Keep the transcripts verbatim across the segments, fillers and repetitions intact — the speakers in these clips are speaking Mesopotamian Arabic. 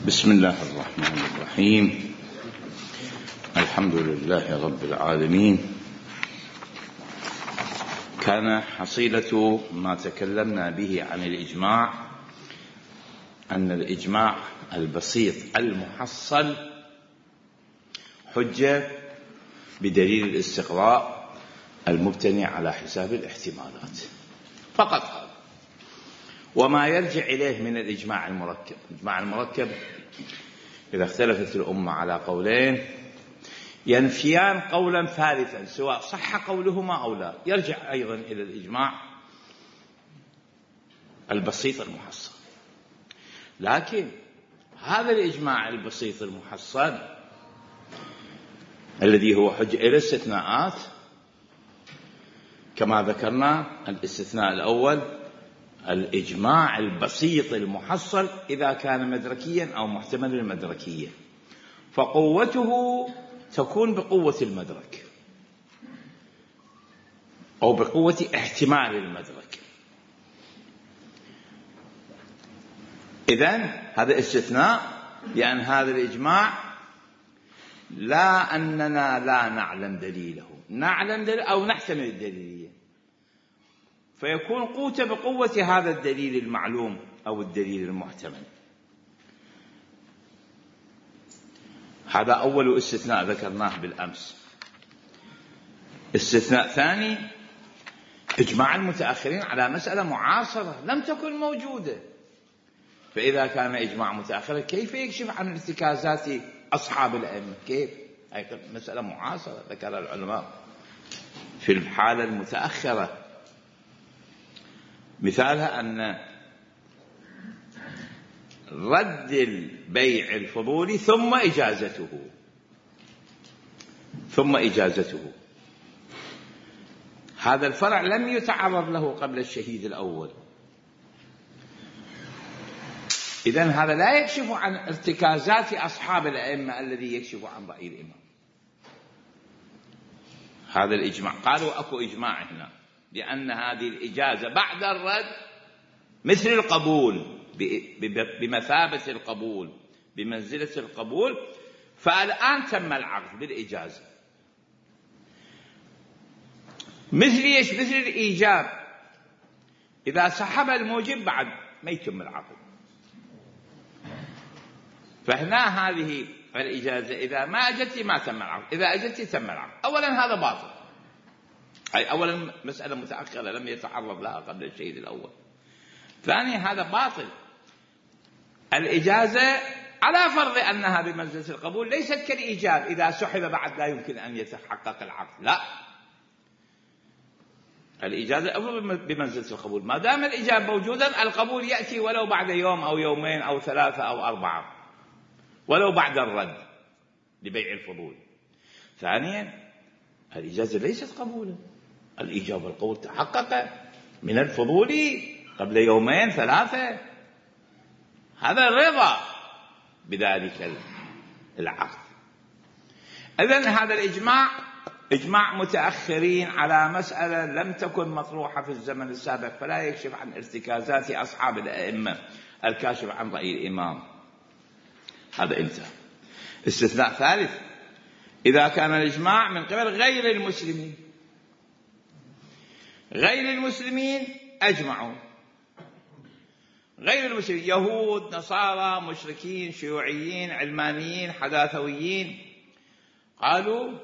بسم الله الرحمن الرحيم. الحمد لله رب العالمين. كان حصيلة ما تكلمنا به عن الإجماع أن الإجماع البسيط المحصل حجة بدليل الاستقراء المبتني على حساب الاحتمالات فقط هذا، وما يرجع إليه من الإجماع المركب. الإجماع المركب إذا اختلفت الأمة على قولين ينفيان قولا ثالثا سواء صح قولهما أو لا، يرجع أيضا إلى الإجماع البسيط المحصل. لكن هذا الإجماع البسيط المحصل الذي هو حجة إلى استثناءات، كما ذكرنا الاستثناء الأول الإجماع البسيط المحصل إذا كان مدركيا أو محتمل المدركية، فقوته تكون بقوة المدرك أو بقوة احتمال المدرك. إذن هذا استثناء، لأن هذا الإجماع لا أننا لا نعلم دليله، نعلم دليل أو نحتمل الدليلية، فيكون قوته بقوة هذا الدليل المعلوم أو الدليل المحتمل. هذا أول استثناء ذكرناه بالأمس. استثناء ثاني إجماع المتأخرين على مسألة معاصرة لم تكن موجودة، فإذا كان إجماع متأخر كيف يكشف عن ارتكازات أصحاب الأئمة؟ كيف؟ هي مسألة معاصرة ذكرها العلماء في الحالة المتأخرة. مثالها أن رد البيع الفضولي ثم إجازته ثم إجازته هذا الفرع لم يتعرض له قبل الشهيد الأول. إذن هذا لا يكشف عن ارتكازات أصحاب الأئمة الذي يكشف عن رأي الإمام. هذا الإجماع قالوا أكو إجماع هنا لأن هذه الإجازة بعد الرد مثل القبول، بمثابة القبول، بمنزلة القبول، فالآن تم العقد بالإجازة. مثل إيش؟ مثل الإيجاب، إذا سحب الموجب بعد ما يتم العقد، فهنا هذه الإجازة إذا ما أجت ما تم العقد، إذا أجت تم العقد. أولا هذا باطل، أي أولا مسألة متأخرة لم يتعرض لها قبل الشهيد الأول. ثانيا هذا باطل. الإجازة على فرض أنها بمنزلة القبول ليست كالإيجاب، إذا سحب بعد لا يمكن أن يتحقق العقد، لا، الإجازة بمنزلة القبول. ما دام الإجابة موجودا القبول يأتي ولو بعد يوم أو يومين أو ثلاثة أو أربعة، ولو بعد الرد لبيع الفضول. ثانيا الإجازة ليست قبولا، الإجابة والقبول تحقق من الفضول قبل يومين ثلاثة، هذا الرضا بذلك العقد. إذن هذا الإجماع إجماع متأخرين على مسألة لم تكن مطروحة في الزمن السابق، فلا يكشف عن ارتكازات أصحاب الأئمة الكاشف عن رأي الإمام. هذا انتهى. استثناء ثالث إذا كان الإجماع من قبل غير المسلمين. غير المسلمين أجمعوا، غير المسلمين يهود، نصارى، مشركين، شيوعيين، علمانيين، حداثويين، قالوا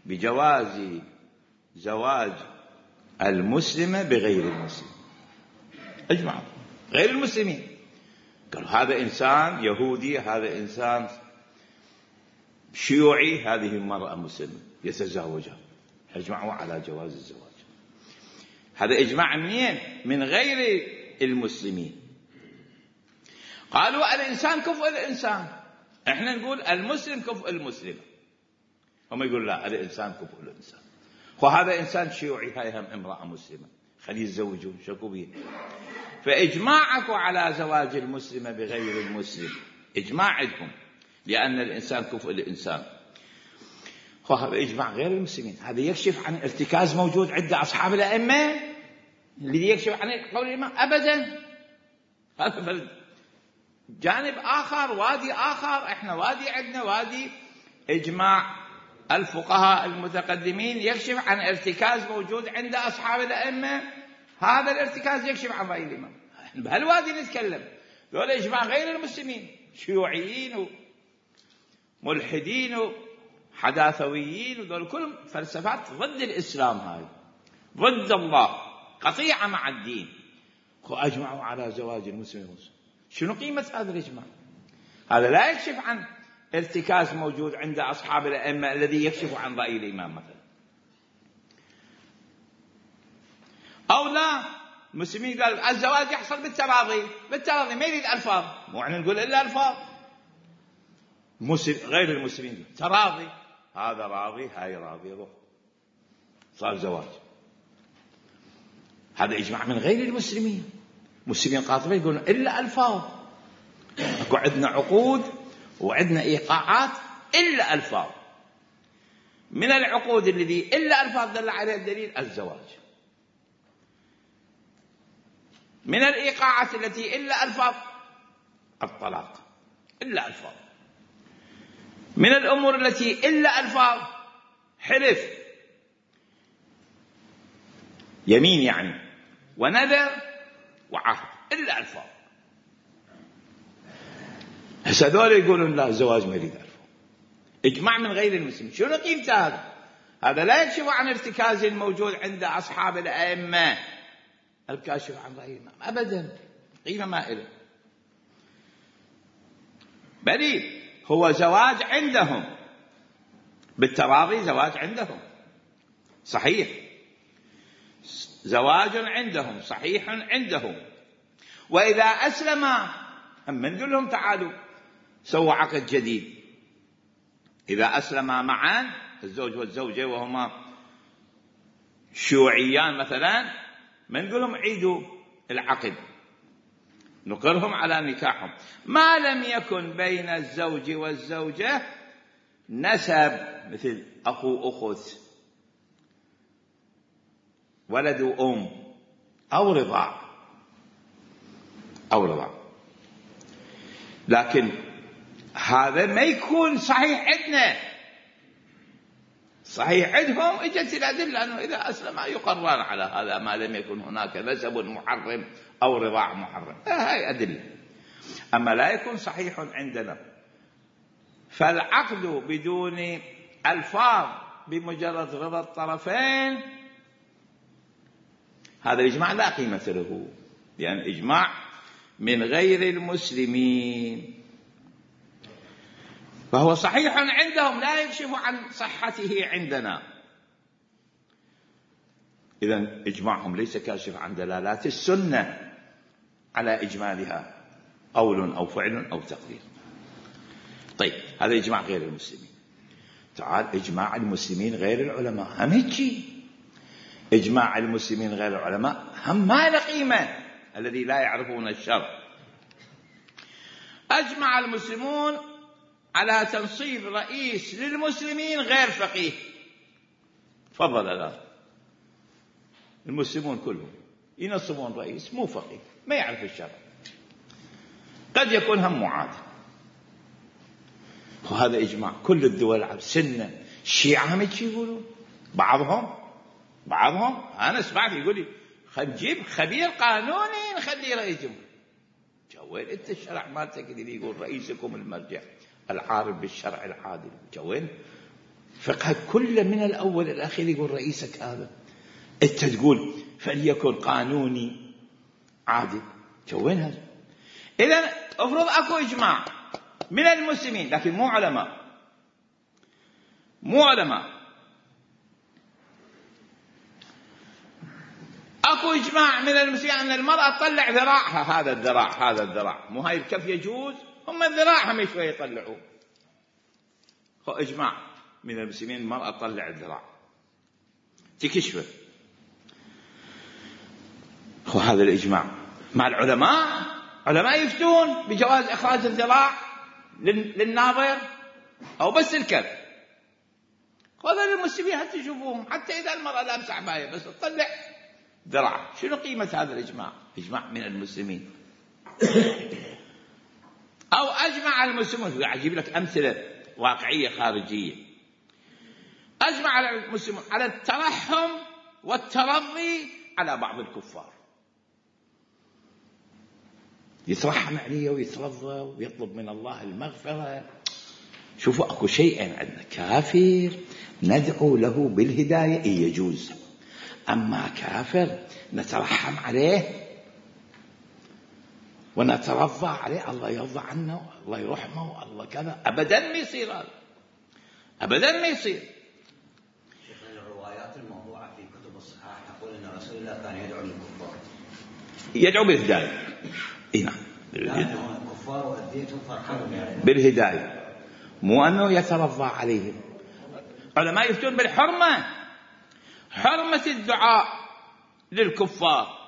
بجواز زواج المسلمة بغير المسلم، أجمعوا غير المسلمين. قالوا هذا إنسان يهودي، هذا إنسان شيوعي، هذه المرأة مسلمة يتزوجها، أجمعوا على جواز الزواج. هذا إجماع منين؟ من غير المسلمين. قالوا الإنسان كفء الإنسان، إحنا نقول المسلم كفء المسلمة، هم يقول لا الإنسان كفء الإنسان. وهذا إنسان شيوعي، هاي هم امرأة مسلمة، خليه يتزوجوا، شكو بيه. فإجماعك على زواج المسلمة بغير المسلم إجماع عندهم، لأن الإنسان كفء الإنسان. وهذا إجماع غير المسلمين. هذا يكشف عن ارتكاز موجود عند أصحاب الأئمة اللي يكشف عن قول الإمام أبدا. هذا جانب آخر، وادي آخر، احنا وادي عندنا وادي إجماع الفقهاء المتقدمين يكشف عن ارتكاز موجود عند أصحاب الأئمة. هذا الارتكاز يكشف عن رأي الإمام. بهالوادي نتكلم، ذول إجماع غير المسلمين، شيوعيين وملحدين وحداثويين، وذول كلهم فلسفات ضد الإسلام، هاي ضد الله، قطيعة مع الدين. وأجمعوا على زواج المسلم والمسلم. شنو قيمة هذا الإجماع؟ هذا لا يكشف عن ارتكاز موجود عند أصحاب الأئمة الذي يكشف عن رأي الإمام مثلا. أو لا، المسلمين قال الزواج يحصل بالتراضي، بالتراضي ما يريد ألفاظ، مو احنا نقول إلا ألفاظ. مسلم غير المسلمين تراضي، هذا راضي هاي راضي، روح صار زواج. هذا إجماع من غير المسلمين. مسلمين قاطبين يقولون إلا ألفاظ، اكو عندنا عقود وعندنا إيقاعات إلا ألفاظ. من العقود الذي إلا ألفاظ دل عليها الدليل الزواج، من الإيقاعات التي إلا ألفاظ الطلاق إلا ألفاظ، من الأمور التي إلا ألفاظ حلف، يمين يعني، ونذر وعهد، إلا ألفاظ. هسه هذول يقولون لا الزواج ما يريد ألفاظ. إجماع من غير المسلمين. شنو قيمته هذا؟ هذا لا يكشف عن ارتكاز موجود عند أصحاب الأئمة الكاشف عن رأي الإمام أبدا، قيمة ما إله. بل هو زواج عندهم بالتراضي، زواج عندهم صحيح، زواج عندهم صحيح عندهم. وإذا أسلم هم نقول لهم تعالوا سووا عقد جديد. إذا أسلما معا الزوج والزوجة وهما شيوعيان مثلا، ما نقول لهم عيدوا العقد، نقرهم على نكاحهم ما لم يكن بين الزوج والزوجة نسب مثل أخو أخت، ولد وأم، أو رضاع أو رضاع. لكن هذا ما يكون صحيح عندنا، صحيح عندهم اجت الأدلة أنه إذا أسلم يقران على هذا ما لم يكن هناك نسب محرم أو رضاع محرم، هاي أدلة. أما لا يكون صحيح عندنا، فالعقد بدون ألفاظ بمجرد رضا الطرفين هذا الإجماع لا قيمة له، لأن يعني إجماع من غير المسلمين، فهو صحيح عندهم لا يكشف عن صحته عندنا. إذن إجماعهم ليس كاشف عن دلالات السنة على إجمالها، قول أو فعل أو تقرير. طيب هذا إجماع غير المسلمين. تعال إجماع المسلمين غير العلماء هم هيك. إجماع المسلمين غير العلماء هم ما له قيمة، الذي لا يعرفون الشرع. أجمع المسلمون على تنصيب رئيس للمسلمين غير فقيه. تفضل الآن المسلمون كلهم ينصبون رئيس مو فقيه، ما يعرف الشرع، قد يكون هم معاد. وهذا إجماع كل الدول العربية، سنة الشيعة هم يقولون، بعضهم بعضهم أنا سمعت يقول لي خل نجيب خبير قانوني نخليه رئيس جمهورية. جوين أنت الشرع مالتك اللي يقول رئيسكم المرجع العارف بالشرع العادل، جوين فقه كله من الأول إلى الأخير يقول رئيسك هذا، أنت تقول فليكن قانوني عادل، جوين هذا؟ إذن أفرض أكو إجماع من المسلمين لكن مو علماء، مو علماء، أكو إجماع من المسلمين أن المرأة تطلع ذراعها، هذا الذراع هذا الذراع مو هاي الكف يجوز، هم الذراع هم شوية يطلعوا. هو إجماع من المسلمين المرأة تطلع الذراع تكشفه، هو هذا الإجماع. مع العلماء علماء يفتون بجواز إخراج الذراع للناظر أو بس الكف. هذا المسلمين حتى تشوفوهم حتى إذا المرأة لابسة عباية بس تطلع ذراع. شنو قيمة هذا الإجماع؟ إجماع من المسلمين. أو أجمع المسلمون، أجيب لك أمثلة واقعية خارجية، أجمع المسلمون على الترحم والترضي على بعض الكفار، يترحم عليه ويترضى ويطلب من الله المغفرة. شوفوا أكو شيئين عندنا، كافر ندعو له بالهداية إيه يجوز، أما كافر نترحم عليه ونترضى عليه، الله يرضى عنه، الله يرحمه، الله كذا، أبدا ما يصير هذا، أبدا ما يصير. شيخنا الروايات الموضوعة في كتب الصحاح تقول أن رسول الله كان يدعو للكفار، يدعو بالهداية. إيه نعم، الكفار وأذيتهم فرحانهم يعني بالهداية، مو أنه يترضى عليهم. علماء يفتون بالحرمة، حرمة الدعاء للكفار.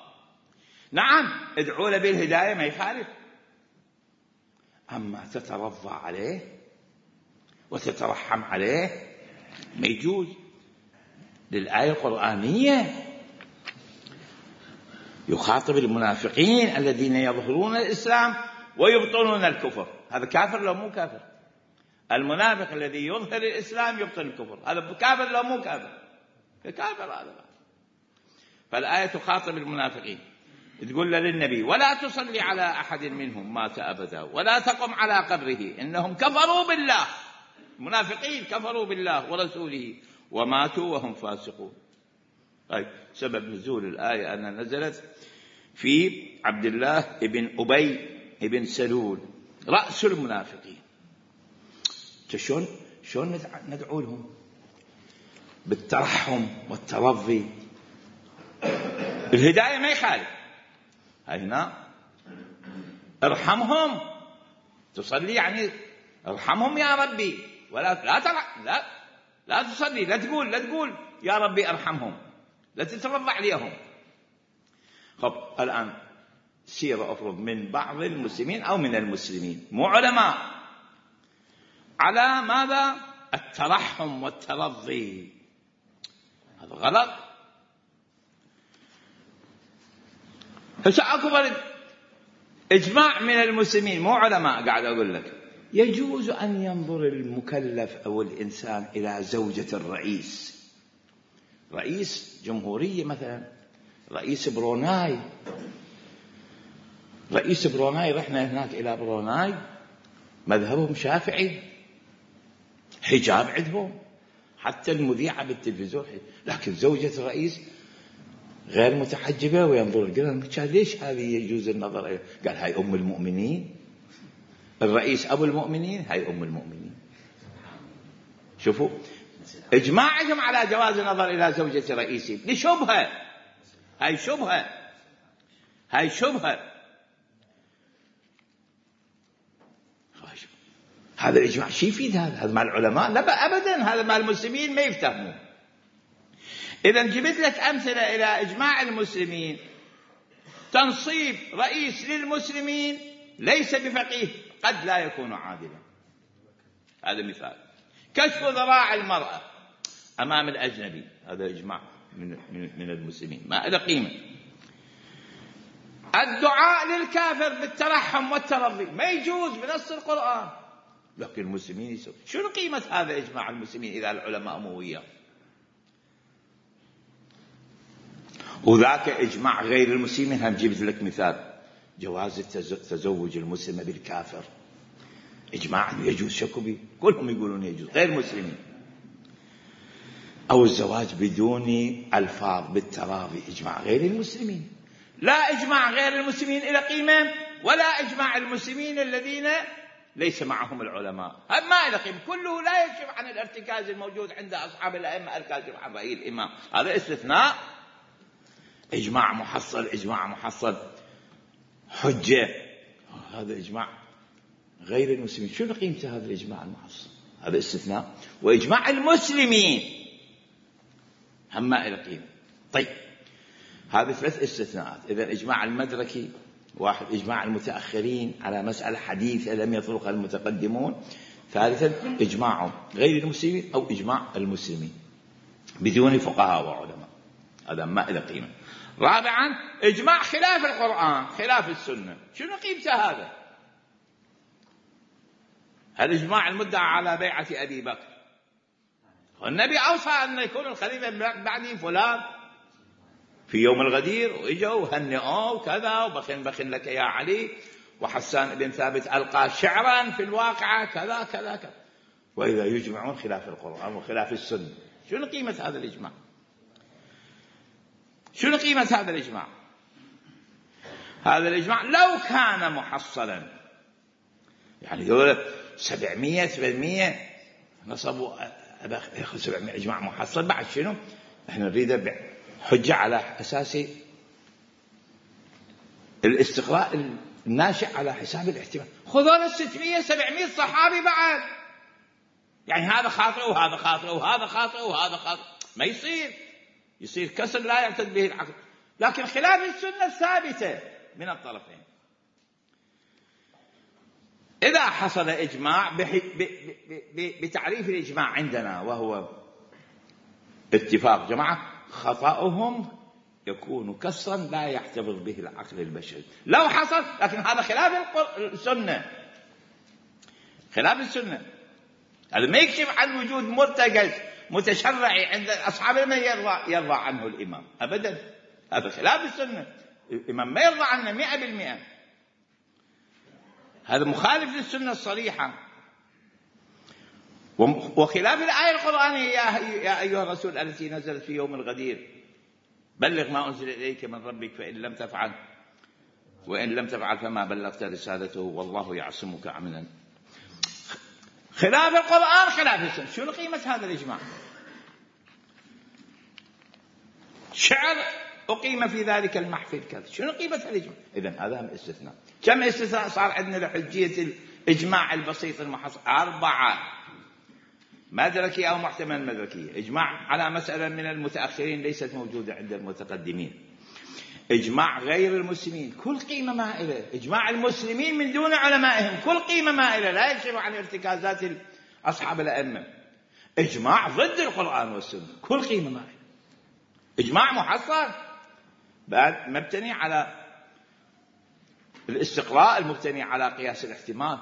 نعم ادعوا له بالهداية ما يخالف، أما تترضى عليه وتترحم عليه ما يجوز. للآية القرآنية يخاطب المنافقين الذين يظهرون الإسلام ويبطنون الكفر. هذا كافر لو مو كافر؟ المنافق الذي يظهر الإسلام يبطن الكفر، هذا كافر لو مو كافر؟ كافر هذا. فالآية تخاطب المنافقين، تقول للنبي: ولا تصلي على أحد منهم مات أبدا ولا تقم على قبره إنهم كفروا بالله. المنافقين كفروا بالله ورسوله وماتوا وهم فاسقون. طيب، سبب نزول الآية أن نزلت في عبد الله ابن أبي ابن سلول رأس المنافقين. شلون شلون ندعو لهم بالترحم والترضي؟ الهداية ما يخالف، هنا ارحمهم، تصلي يعني ارحمهم يا ربي، ولا لا ترى لا لا تصلي، لا تقول لا تقول يا ربي ارحمهم، لا تترضى عليهم. خب الآن سيرة أفرض من بعض المسلمين أو من المسلمين مو علماء على ماذا؟ الترحم والترضي، هذا غلط. هسه أكبر إجماع من المسلمين مو علماء، قاعد أقول لك يجوز أن ينظر المكلف أو الإنسان إلى زوجة الرئيس، رئيس جمهورية مثلا، رئيس بروناي، رئيس بروناي، رحنا هناك إلى بروناي مذهبهم شافعي، حجاب عندهم، حتى المذيعة بالتلفزيون، لكن زوجة الرئيس غير متحجبة وينظر. قال ليش هذه يجوز النظر إليها؟ قال هاي أم المؤمنين، الرئيس أبو المؤمنين، هاي أم المؤمنين. شوفوا إجماعهم على جواز النظر إلى زوجة رئيسهم لشبهة، هاي شبهة، هاي شبهة. هذا الإجماع شي يفيد؟ هذا هذا مع العلماء؟ لا أبدا، هذا مع المسلمين ما يفتهمون. إذا جبت لك أمثلة إلى إجماع المسلمين، تنصيب رئيس للمسلمين ليس بفقيه قد لا يكون عادلا، هذا مثال. كشف ذراع المرأة أمام الأجنبي، هذا إجماع من من المسلمين ما له قيمة. الدعاء للكافر بالترحم والترضي ما يجوز بنص القرآن، لكن المسلمين يسوون. شنو قيمة هذا إجماع المسلمين إذا العلماء مو وياه؟ وذاك إجماع غير المسلمين. هم جبت لك مثال، جواز تزوج المسلمة بالكافر، إجماع يجوز، شكو بيه، كلهم يقولون يجوز غير المسلمين. أو الزواج بدون ألفاظ بالتراضي، إجماع غير المسلمين. لا إجماع غير المسلمين إلى قيمة، ولا إجماع المسلمين الذين ليس معهم العلماء، هذا ما إلى قيمة، كله لا يكشف عن الارتكاز الموجود عند أصحاب الأئمة الكاشف عن رأي الإمام، هذا استثناء. إجماع محصل، إجماع محصل حجة، هذا إجماع غير المسلمين. شو قيمته هذا الإجماع المحصل؟ هذا استثناء. وإجماع المسلمين هم ما إلى قيمة. طيب، هذه ثلاث استثناءات. إذا إجماع المدركي واحد، إجماع المتأخرين على مسألة حديثة لم يطرقها المتقدمون. ثالثا إجماع غير المسلمين أو إجماع المسلمين بدون فقهاء وعلماء، هذا ما إلى قيمة. رابعا إجماع خلاف القرآن خلاف السنة، شنو قيمته هذا؟ الإجماع المدعى على بيعة أبي بكر، والنبي أوصى أن يكون الخليفة بعدي فلان في يوم الغدير، وإجوا وهنئوا وكذا وبخن بخن لك يا علي، وحسان بن ثابت ألقى شعرا في الواقعة كذا كذا كذا. وإذا يجمعون خلاف القرآن وخلاف السنة، شنو قيمة هذا الإجماع؟ شنو قيمة هذا الإجماع؟ هذا الإجماع لو كان محصلا، يعني يقول سبعمية ثمانمية نصبوا ياخذ سبعمية إجماع محصل، بعد شنو؟ احنا نريد حجة على أساس الاستقراء الناشئ على حساب الاحتمال. خذوا ستمية سبعمية صحابي بعد، يعني هذا خاطئ وهذا خاطئ وهذا خاطئ وهذا خاطئ، ما يصير، يصير كسر لا يعتد به العقل. لكن خلاف السنة الثابتة من الطرفين. إذا حصل إجماع بتعريف الإجماع عندنا وهو اتفاق جماعة، خطأهم يكون كسرا لا يحتفظ به العقل البشري لو حصل، لكن هذا خلاف السنة، خلاف السنة. هذا ما يكشف عن وجود مرتكز متشرعي عند أصحاب من يرضى, يرضى عنه الإمام أبدا، هذا خلاف السنة، الإمام ما يرضى عنه مئة بالمئة، هذا مخالف للسنة الصريحة وخلاف الآية القرآنية يا أيها الرسول التي نزلت في يوم الغدير بلغ ما أنزل إليك من ربك فإن لم تفعل وإن لم تفعل فما بلغت رسالته والله يعصمك من خلاف القرآن خلاف السنة. شنو قيمة هذا الإجماع؟ شعر أقيم في ذلك المحفل كذا، شنو قيمة الإجماع؟ إذن هذا هم استثناء. كم استثناء صار عندنا لحجية الإجماع البسيط المحصل؟ أربعة: مدركي أو محتمل مدركي، إجماع على مسألة من المتأخرين ليست موجودة عند المتقدمين، إجماع غير المسلمين كل قيمة مائلة، إجماع المسلمين من دون علمائهم كل قيمة مائلة لا يكشف عن ارتكازات أصحاب الأئمة، إجماع ضد القرآن والسنة كل قيمة مائلة، إجماع محصل بعد مبتني على الاستقراء المبتني على قياس الاحتمال،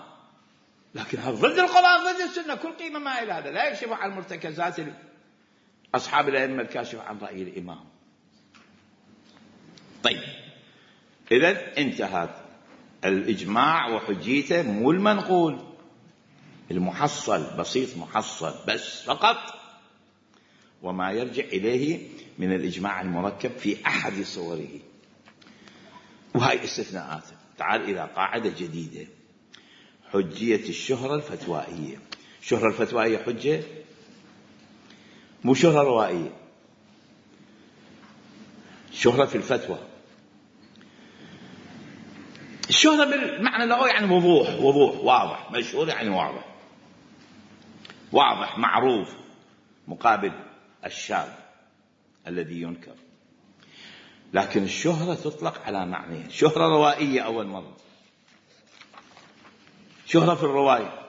لكن هذا ضد القرآن ضد السنة كل قيمة مائلة، هذا لا يكشف عن مرتكزات أصحاب الأئمة الكاشف عن رأي الإمام. طيب إذن انتهت الإجماع وحجيته، مو المنقول المحصل بسيط محصل بس فقط، وما يرجع إليه من الإجماع المركب في أحد صوره، وهي استثناءات. تعال إلى قاعدة جديدة: حجية الشهرة الفتوائية. الشهرة الفتوائية حجة، مو شهرة روائية، شهرة في الفتوى. الشهرة بالمعنى اللغوي يعني وضوح، وضوح واضح، مشهور يعني واضح، واضح معروف، مقابل الشاذ الذي ينكر. لكن الشهرة تطلق على معنيين: شهرة روائية أول مرة، شهرة في الرواية،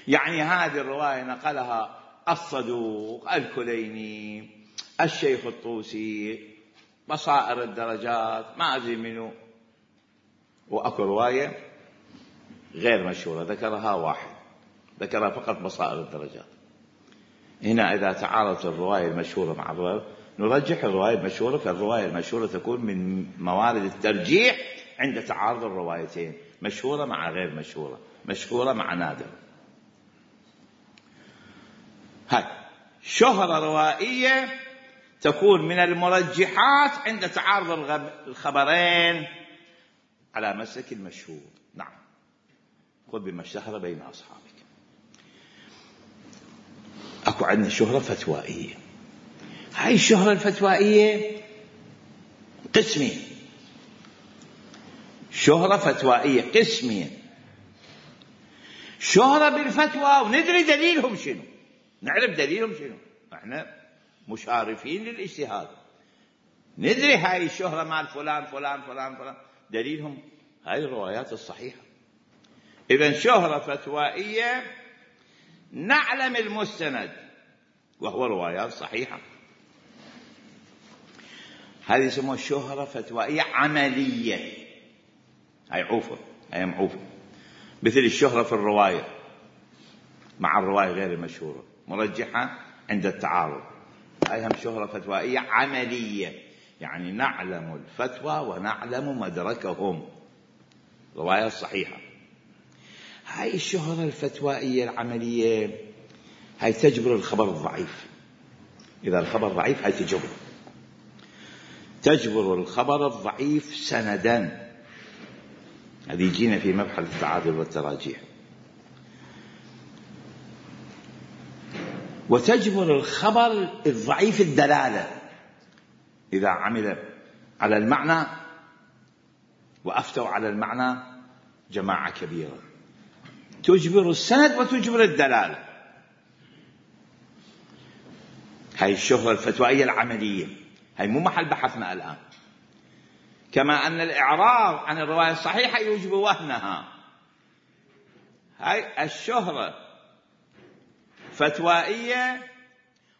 يعني هذه الرواية نقلها الصدوق الكليني الشيخ الطوسي بصائر الدرجات ما أدري منه، وأكو رواية غير مشهورة ذكرها واحد، ذكرها فقط بصائر الدرجات. هنا إذا تعارضت الرواية المشهورة مع الرواية نرجح الرواية المشهورة، فالرواية المشهورة تكون من موارد الترجيح عند تعارض الروايتين، مشهورة مع غير مشهورة، مشهورة مع نادر. هاي شهرة روائية تكون من المرجحات عند تعارض الخبرين على مسلك المشهور. نعم، خذ بما اشتهر بين أصحابك. أكو عندنا شهرة فتوائية، هاي الشهرة الفتوائية قسمين، شهرة فتوائية قسمين: شهرة بالفتوى وندري دليلهم شنو، نعرف دليلهم شنو، احنا مشارفين للاجتهاد، ندري هاي الشهرة مال فلان فلان فلان فلان دليلهم هاي الروايات الصحيحة. إذن شهرة فتوائية نعلم المستند وهو روايات صحيحة، هذه يسموها شهرة فتوائية عملية، هاي عوفة، هاي معوفة مثل الشهرة في الرواية مع الرواية غير المشهورة مرجحة عند التعارض. هاي هم شهرة فتوائية عملية، يعني نعلم الفتوى ونعلم مدركهم، رواية صحيحة. هاي الشهرة الفتوائية العملية هاي تجبر الخبر الضعيف. إذا الخبر ضعيف هاي تجبر تجبر الخبر الضعيف سندا. هذه يجينا في مبحث التعادل والتراجيح. وتجبر الخبر الضعيف الدلالة إذا عمل على المعنى وأفتوا على المعنى جماعة كبيرة، تجبر السند وتجبر الدلالة. هاي الشهرة الفتوائية العملية، هاي مو محل بحثنا الآن. كما أن الإعراض عن الرواية الصحيحة يوجب وهنها. هاي الشهرة فتوائية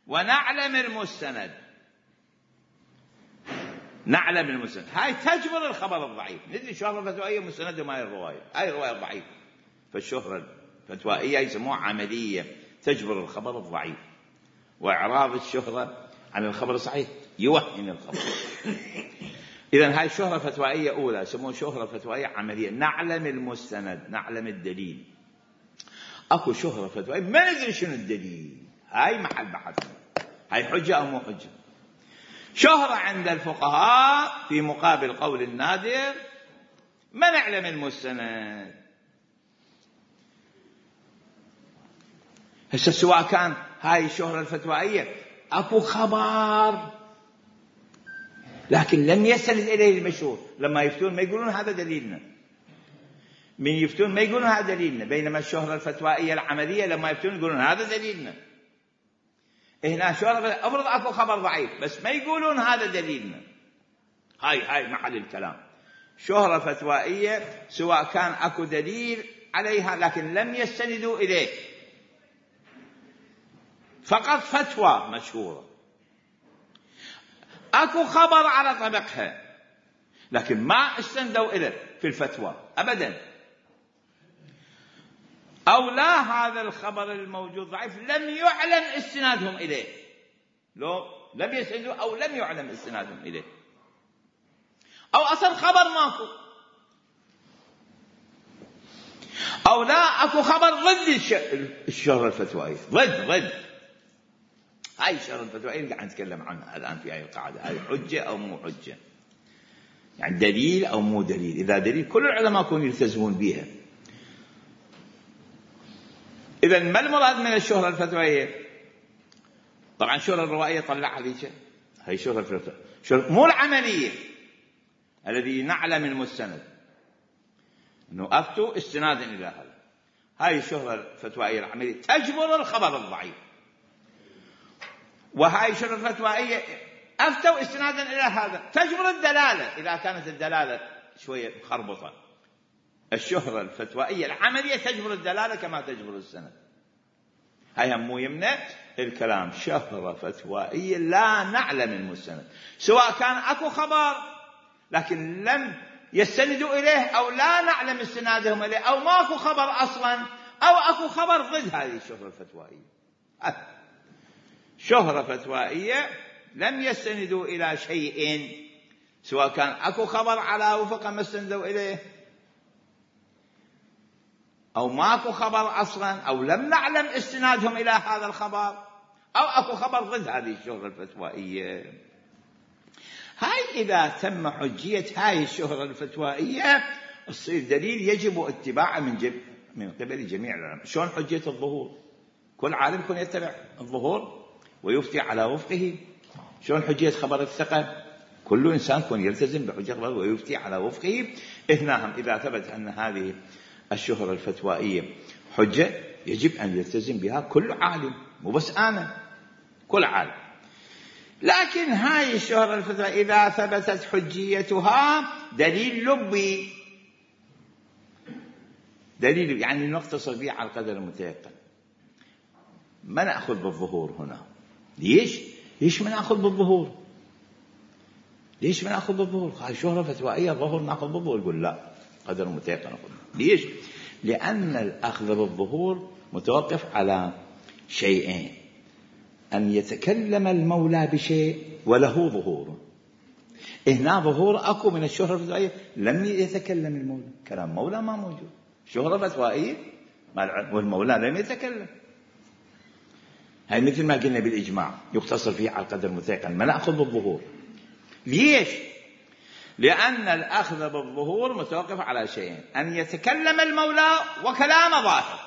ونعلم المستند، نعلم المستند هاي تجبر الخبر الضعيف. ندري شهرة فتوائية مستند ما هي الرواية، هاي الرواية ضعيفة، فالشهرة الفتوائية يسموها عملية تجبر الخبر الضعيف. وإعراض الشهرة عن الخبر الصحيح يوهن الخبر. إذن هاي شهرة فتوائية أولى يسموها شهرة فتوائية عملية، نعلم المستند نعلم الدليل. أكو شهرة فتوائية ما ندري شنو الدليل، هاي محل بحث، هاي حجة أو مو حجة. شهرة عند الفقهاء في مقابل قول النادر ما نعلم المستند. هسه سواء كان هاي الشهرة الفتوائية أكو خبر لكن لم يستند إليه المشهور، لما يفتون ما يقولون هذا دليلنا، من يفتون ما يقولون هذا دليلنا، بينما الشهرة الفتوائية العملية لما يفتون يقولون هذا دليلنا. هنا شهرة أفرض أكو خبر ضعيف بس ما يقولون هذا دليلنا، هاي هاي محل الكلام. شهرة فتوائية سواء كان أكو دليل عليها لكن لم يستندوا إليه، فقط فتوى مشهورة، أكو خبر على طبقها لكن ما استندوا إليه في الفتوى أبدا، أو لا هذا الخبر الموجود ضعيف لم يعلم استنادهم إليه، لو لم يستندوا أو لم يعلم استنادهم إليه، أو أصل خبر ماكو، أو لا أكو خبر ضد الشهرة الفتوائية، ضد ضد هاي الشهرة الفتوائية اللي قاعد نتكلم عنها الآن في هاي القاعدة. هاي حجة أو مو حجة، يعني دليل أو مو دليل. إذا دليل كل العلماء يكونوا يلتزمون بها. إذن ما المراد من الشهرة الفتوائية؟ طبعا الشهرة الروائية طلعها ليش هاي شهرة الفتوائية، شهرة مو العملية الذي نعلم المستند أنه أفتوا استنادا إلى هذا. هاي الشهرة الفتوائية العملية تجبر الخبر الضعيف، وهاي الشهرة الفتوائية أفتوا استنادا إلى هذا تجبر الدلالة إذا كانت الدلالة شوية مخربطة. الشهرة الفتوائية العملية تجبر الدلالة كما تجبر السند. هاي هم مو يمنع الكلام شهرة فتوائية لا نعلم المستند، سواء كان أكو خبر لكن لم يستندوا إليه أو لا نعلم استنادهم إليه، أو ماكو خبر أصلا، أو أكو خبر ضد هذه الشهرة الفتوائية. شهرة فتوائية لم يستندوا إلى شيء، سواء كان أكو خبر على وفق ما استندوا إليه أو ماكو خبر أصلا، أو لم نعلم استنادهم إلى هذا الخبر، أو أكو خبر ضد هذه الشهرة الفتوائية. هاي إذا تم حجية هاي الشهرة الفتوائية تصير دليل يجب اتباعه من, جب من قبل جميع العلماء. شلون حجية الظهور؟ كل عالم يكون يتبع الظهور ويفتي على وفقه. شلون حجية خبر الثقة؟ كل إنسان يكون يلتزم بحجية خبر ويفتي على وفقه. هنا إذا ثبت أن هذه الشهرة الفتوائية حجة يجب أن يلتزم بها كل عالم، مو بس أنا، كل عالم. لكن هاي الشهرة الفتوائية إذا ثبتت حجيتها دليل لبي، دليل يعني نقتصر به على القدر المتيقن، ما نأخذ بالظهور هنا. ليش؟ ليش ما نأخذ بالظهور؟ ليش ما نأخذ بالظهور؟ هاي شهرة فتوائية ظهور نأخذ بالظهور. يقول لا، قدر متيقن أخذ. ليش؟ لأن الأخذ بالظهور متوقف على شيئين: أن يتكلم المولى بشيء وله ظهور. هنا ظهور أكو من الشهرة الفتوائية، لم يتكلم المولى، كلام مولى ما موجود، شهرة فتوائية والمولى لم يتكلم. هاي مثل ما قلنا بالإجماع يقتصر فيه على القدر المتيقن، ما نأخذ بالظهور. ليش؟ لأن الأخذ بالظهور متوقف على شيئين: أن يتكلم المولى وكلام ظاهر.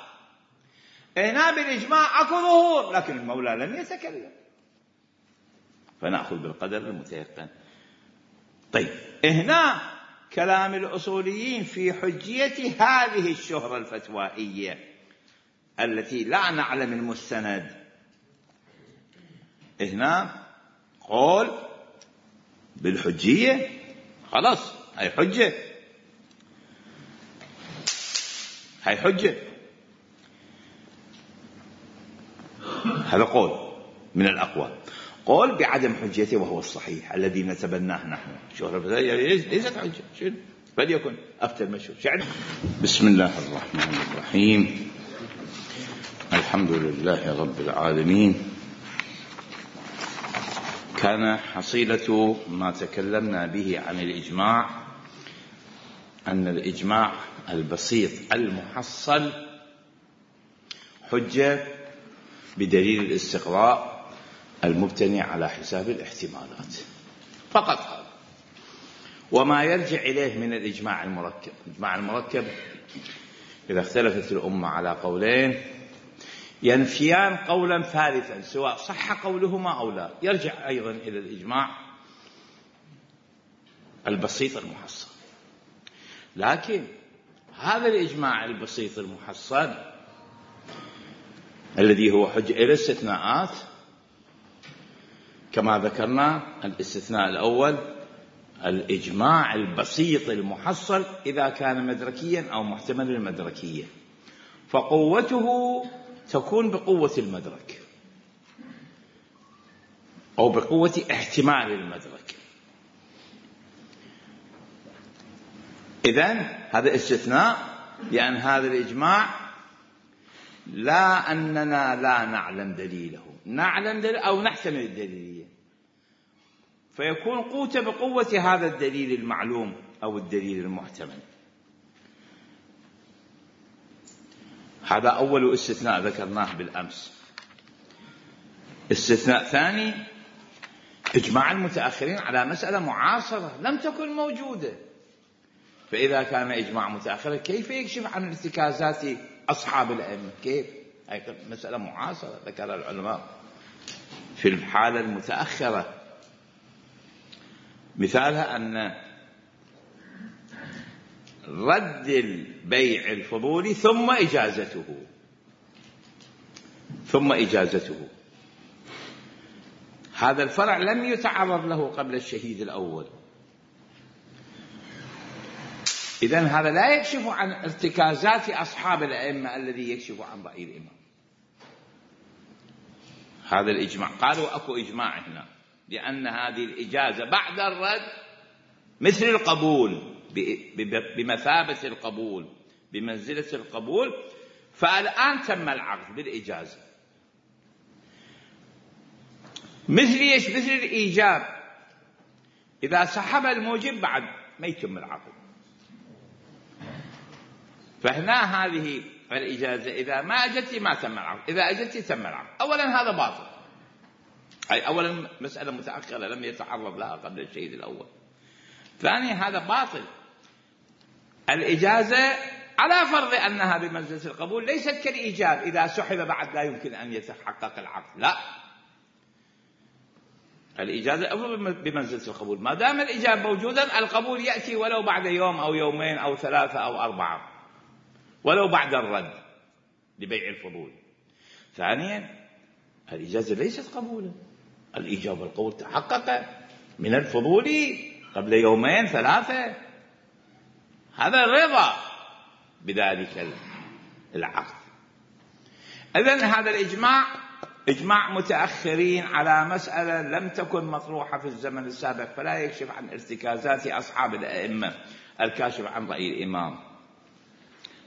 هنا بالإجماع أكو ظهور لكن المولى لم يتكلم، فنأخذ بالقدر المتيقن. طيب، هنا كلام الأصوليين في حجية هذه الشهرة الفتوائية التي لا نعلم المستند. هنا قول بالحجية، خلاص هاي حجة، هاي حجة، هذا قول من الأقوال. قول بعدم حجيته وهو الصحيح الذي نتبناه نحن. شهرة ليست حجة، شنو فليكن أفتى المشهور. شعر. بسم الله الرحمن الرحيم. الحمد لله رب العالمين. كان حصيلة ما تكلمنا به عن الإجماع أن الإجماع البسيط المحصل حجة بدليل الاستقراء المبتني على حساب الاحتمالات فقط هذا، وما يرجع إليه من الإجماع المركب. الإجماع المركب إذا اختلفت الأمة على قولين ينفيان قولا ثالثا سواء صح قولهما أو لا، يرجع أيضا إلى الإجماع البسيط المحصل. لكن هذا الإجماع البسيط المحصل الذي هو حجة إلى استثناءات، كما ذكرنا الاستثناء الأول الإجماع البسيط المحصل إذا كان مدركيا أو محتمل المدركية، فقوته تكون بقوة المدرك أو بقوة احتمال المدرك. إذن هذا استثناء، لأن هذا الإجماع لا أننا لا نعلم دليله، نعلم دليل أو نحتمل الدليلية، فيكون قوته بقوة هذا الدليل المعلوم أو الدليل المحتمل. هذا أول استثناء ذكرناه بالأمس. استثناء ثاني إجماع المتأخرين على مسألة معاصرة لم تكن موجودة، فإذا كان إجماع متأخر كيف يكشف عن ارتكازات أصحاب الأئمة؟ كيف؟ هذه مسألة معاصرة ذكر العلماء في الحالة المتأخرة. مثالها أن رد البيع الفضولي ثم إجازته ثم إجازته هذا الفرع لم يتعرض له قبل الشهيد الأول. إذن هذا لا يكشف عن ارتكازات أصحاب الأئمة الذي يكشف عن رأي الإمام. هذا الإجماع قالوا أكو إجماع هنا لأن هذه الإجازة بعد الرد مثل القبول، بمثابة القبول، بمنزلة القبول، فالآن تم العقد بالإجازة. مثل إيش؟ مثل الإيجاب، إذا سحب الموجب بعد ما يتم العقد. فهنا هذه الإجازة إذا ما أجت ما تم العقد، إذا أجت تم العقد. أولا هذا باطل، أي أولا مسألة متأخرة لم يتعرض لها قبل الشهيد الأول. ثانيا هذا باطل. الإجازة على فرض أنها بمنزلة القبول ليست كالإيجاب إذا سحب بعد لا يمكن أن يتحقق العقد، لا، الإجازة أول بمنزلة القبول. ما دام الإجاب موجودا القبول يأتي ولو بعد يوم أو يومين أو ثلاثة أو أربعة، ولو بعد الرد لبيع الفضول. ثانيا الإجازة ليست قبولا، الإجابة والقبول تحقق من الفضول قبل يومين ثلاثة، هذا الرضا بذلك العقد. إذن هذا الإجماع إجماع متأخرين على مسألة لم تكن مطروحة في الزمن السابق، فلا يكشف عن ارتكازات أصحاب الأئمة الكاشف عن رأي الإمام.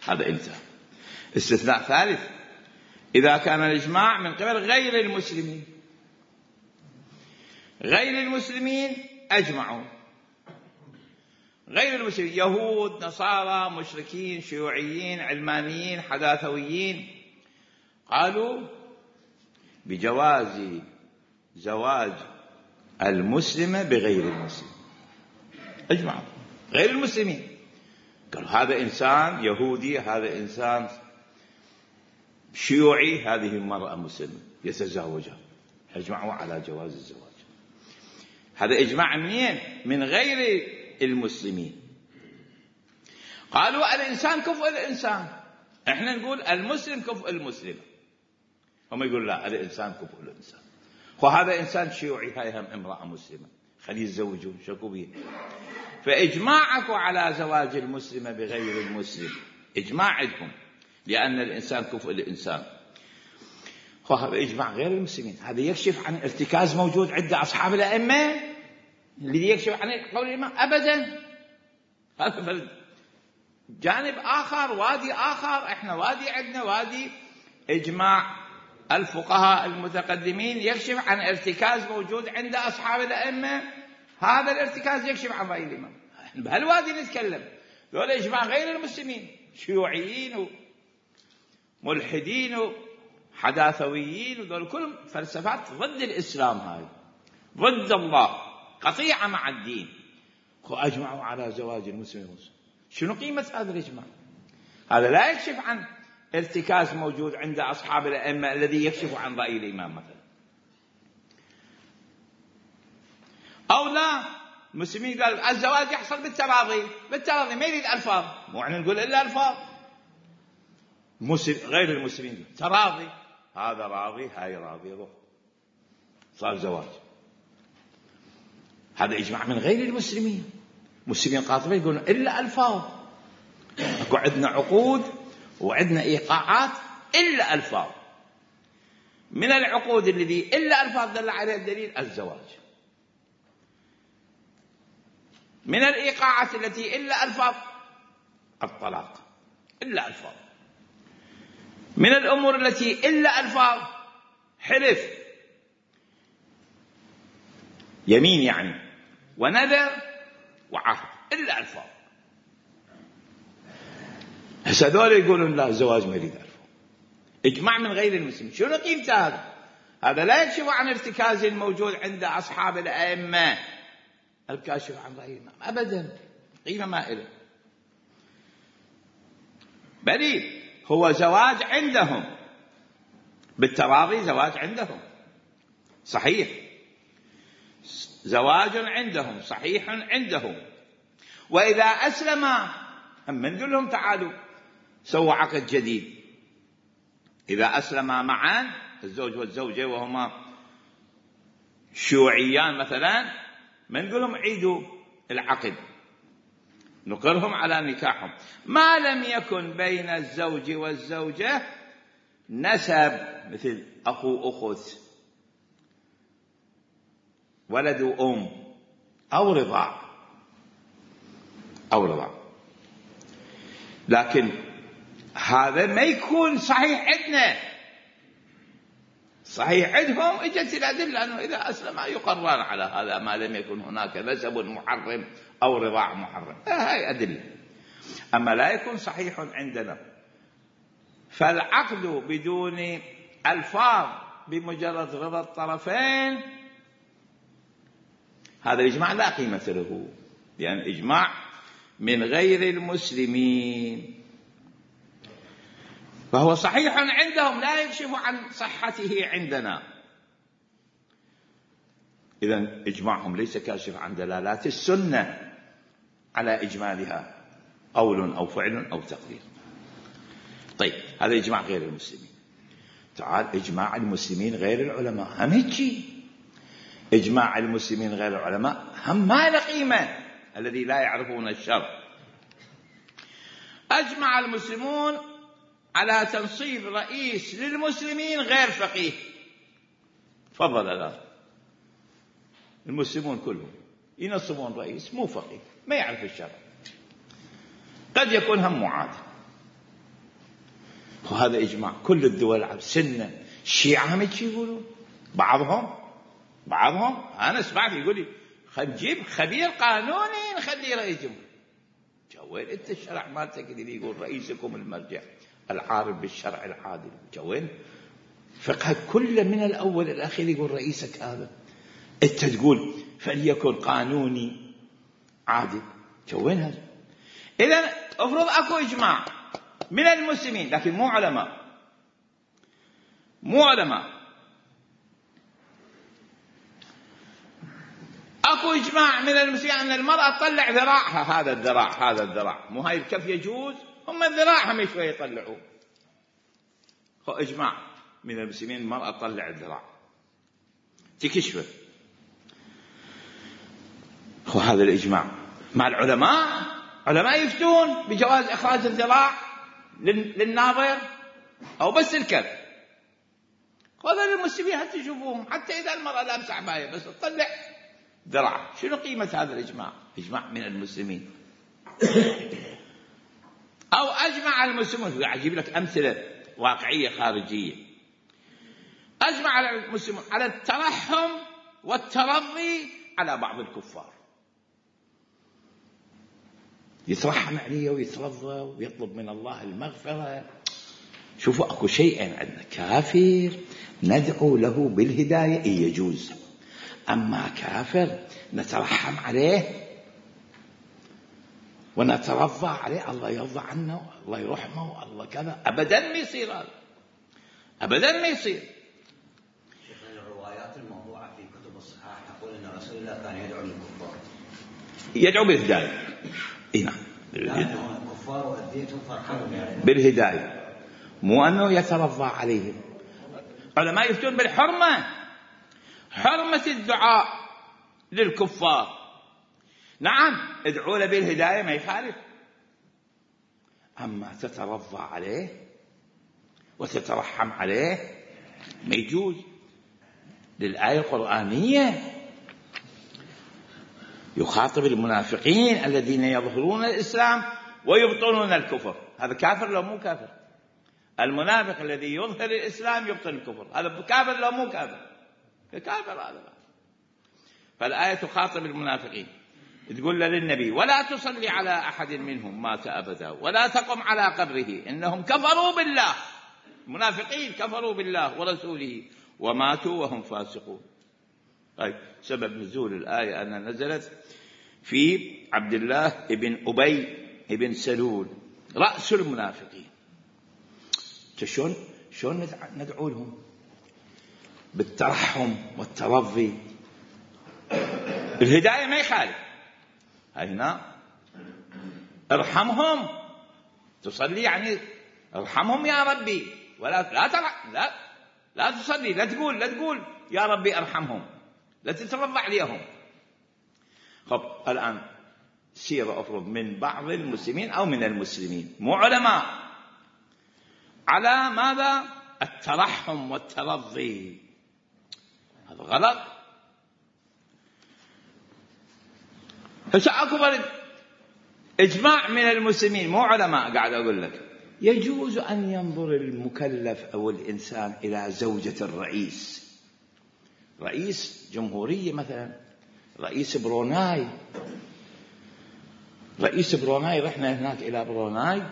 هذا انتهى. استثناء ثالث: إذا كان الإجماع من قبل غير المسلمين. غير المسلمين أجمعوا، غير المسلمين يهود، نصارى، مشركين، شيوعيين، علمانيين، حداثويين، قالوا بجواز زواج المسلمة بغير المسلم. أجمعوا غير المسلمين، قالوا هذا إنسان يهودي، هذا إنسان شيوعي، هذه المرأة مسلمة يتزوجها، أجمعوا على جواز الزواج. هذا إجماع منين؟ من غير المسلمين. قالوا الإنسان كفء الإنسان، إحنا نقول المسلم كفء المسلم، هم يقول لا الإنسان كفء الإنسان. وهذا إنسان شيوعي، هاي هم امرأة مسلمة، خليه يتزوجون، شكو بيه. فإجماعكم على زواج المسلمة بغير المسلم إجماع عندكم، لأن الإنسان كفء الإنسان. وهذا إجماع غير المسلمين. هذا يكشف عن ارتكاز موجود عند أصحاب الأئمة اللي يكشف عن قول الإمام أبدا. هذا جانب آخر، وادي آخر. إحنا وادي عندنا وادي إجماع الفقهاء المتقدمين يكشف عن ارتكاز موجود عند أصحاب الأئمة. هذا الارتكاز يكشف عن رأي الإمام. بهالوادي نتكلم. دول إجماع غير المسلمين، شيوعيين وملحدين وحداثويين، ودول كلهم فلسفات ضد الإسلام، هاي ضد الله، قطيعة مع الدين. وأجمعوا على زواج المسلم والمسلم. شنو قيمة هذا الإجماع؟ هذا لا يكشف عن ارتكاز موجود عند أصحاب الأئمة الذي يكشف عن رأي الإمام مثلا. أو لا، المسلمين قال الزواج يحصل بالتراضي، بالتراضي ما يريد ألفاظ، مو احنا نقول إلا ألفاظ. مسلم غير المسلمين تراضي، هذا راضي هاي راضي، روح صار زواج. هذا إجماع من غير المسلمين. مسلمين قاطبين يقولون إلا ألفاظ. أكو عندنا عقود وعندنا إيقاعات إلا ألفاظ. من العقود الذي إلا ألفاظ دل عليها الدليل الزواج. من الإيقاعات التي إلا ألفاظ الطلاق، إلا ألفاظ. من الأمور التي إلا ألفاظ حلف، يمين يعني، ونذر وعهد، إلا ألفاظ. هسه هذول يقولون لا الزواج ما يريد ألفاظ. إجماع من غير المسلمين. شنو قيمته هذا؟ هذا لا يكشف عن ارتكاز موجود عند أصحاب الأئمة الكاشف عن رأي الإمام أبدا، قيمة ما إله. بل هو زواج عندهم بالتراضي، زواج عندهم صحيح، زواج عندهم صحيح عندهم. وإذا أسلم هم نقول لهم تعالوا سووا عقد جديد. إذا أسلما معا الزوج والزوجة وهما شيوعيان مثلا، ما نقول لهم عيدوا العقد، نقرهم على نكاحهم ما لم يكن بين الزوج والزوجة نسب مثل أخو أخت، ولد وأم، أو رضاع أو رضاع. لكن هذا ما يكون صحيح عندنا، صحيح عندهم. اجت الأدلة أنه إذا أسلم يقرر على هذا ما لم يكن هناك نسب محرم أو رضاع محرم، هاي أدلة. أما لا يكون صحيح عندنا، فالعقد بدون ألفاظ بمجرد رضا الطرفين، هذا الإجماع لا قيمة له، لأن يعني إجماع من غير المسلمين، فهو صحيح عندهم لا يكشف عن صحته عندنا. إذن إجماعهم ليس كاشف عن دلالات السنة على إجمالها، قول أو فعل أو تقدير. طيب هذا إجماع غير المسلمين. تعال إجماع المسلمين غير العلماء هم هيك. إجماع المسلمين غير العلماء هم ما له قيمة، الذي لا يعرفون الشرع. أجمع المسلمون على تنصيب رئيس للمسلمين غير فقيه. تفضل الآن المسلمون كلهم ينصبون رئيس مو فقيه، ما يعرف الشرع، قد يكون هم معاد، وهذا إجماع كل الدول العربية، سنة الشيعة هم يقولون، بعضهم بعضهم أنا سمعت يقول لي خل نجيب خبير قانوني نخليه رئيس جمهورية. وين أنت الشرع مالتك اللي يقول رئيسكم المرجع العارف بالشرع العادل؟ وين فقه كله من الأول الأخير يقول رئيسك هذا، أنت تقول فليكن قانوني عادل. وين هذا؟ إذن أفرض أكو إجماع من المسلمين لكن مو علماء، مو علماء أكو إجماع من المسلمين أن المرأة تطلع ذراعها، هذا الذراع هذا الذراع مو هاي الكف يجوز، هم الذراع هم شوية يطلعوه. هو إجماع من المسلمين المرأة تطلع الذراع تكشفه، هو هذا الإجماع. مع العلماء علماء يفتون بجواز إخراج الذراع للناظر أو بس الكف. هذا المسلمين حتى يشوفوهم، حتى إذا المرأة لابسة عباية بس تطلع ذراع. شنو قيمة هذا الإجماع؟ إجماع من المسلمين. أو أجمع المسلمون، أجيب لك أمثلة واقعية خارجية. أجمع المسلمون على الترحم والترضي على بعض الكفار، يترحم عليه ويترضى ويطلب من الله المغفرة. شوفوا أكو شيئين عندنا، كافر ندعو له بالهداية إيه يجوز، أما كافر نترحم عليه ونترضى عليه، الله يرضى عنه، الله يرحمه، الله كذا، أبدا ما يصير هذا، أبدا ما يصير. شيخنا الروايات الموضوعة في كتب الصحاح تقول أن رسول الله كان يدعو للكفار، يدعو بالهداية. إيه نعم، الكفار وأذيتهم فرحمهم يعني بالهداية، مو أنه يترضى عليهم. علماء يفتون بالحرمة، حرمة الدعاء للكفار. نعم ادعوا له بالهداية ما يخالف، أما تترضى عليه وتترحم عليه ما يجوز. للآية القرآنية يخاطب المنافقين الذين يظهرون الإسلام ويبطنون الكفر. هذا كافر لو مو كافر؟ المنافق الذي يظهر الإسلام يبطن الكفر، هذا كافر لو مو كافر؟ كافر هذا. فالآية تخاطب المنافقين، تقول للنبي ولا تصلي على أحد منهم مات أبدا ولا تقم على قبره إنهم كفروا بالله. المنافقين كفروا بالله ورسوله وماتوا وهم فاسقون. طيب سبب نزول الآية أنها نزلت في عبد الله ابن أبي ابن سلول رأس المنافقين. شلون شلون ندعو لهم بالترحم والترضي؟ الهداية ما يخالف، هنا ارحمهم، تصلي يعني ارحمهم يا ربي، ولا لا ترح لا لا تصلي، لا تقول لا تقول يا ربي ارحمهم، لا تترضى عليهم. خب الآن سيرة أفرض من بعض المسلمين أو من المسلمين مو علماء على ماذا؟ الترحم والترضي، هذا غلط. هسه أكبر إجماع من المسلمين مو علماء، قاعد أقول لك يجوز أن ينظر المكلف أو الإنسان إلى زوجة الرئيس، رئيس جمهورية مثلا، رئيس بروناي. رئيس بروناي رحنا هناك إلى بروناي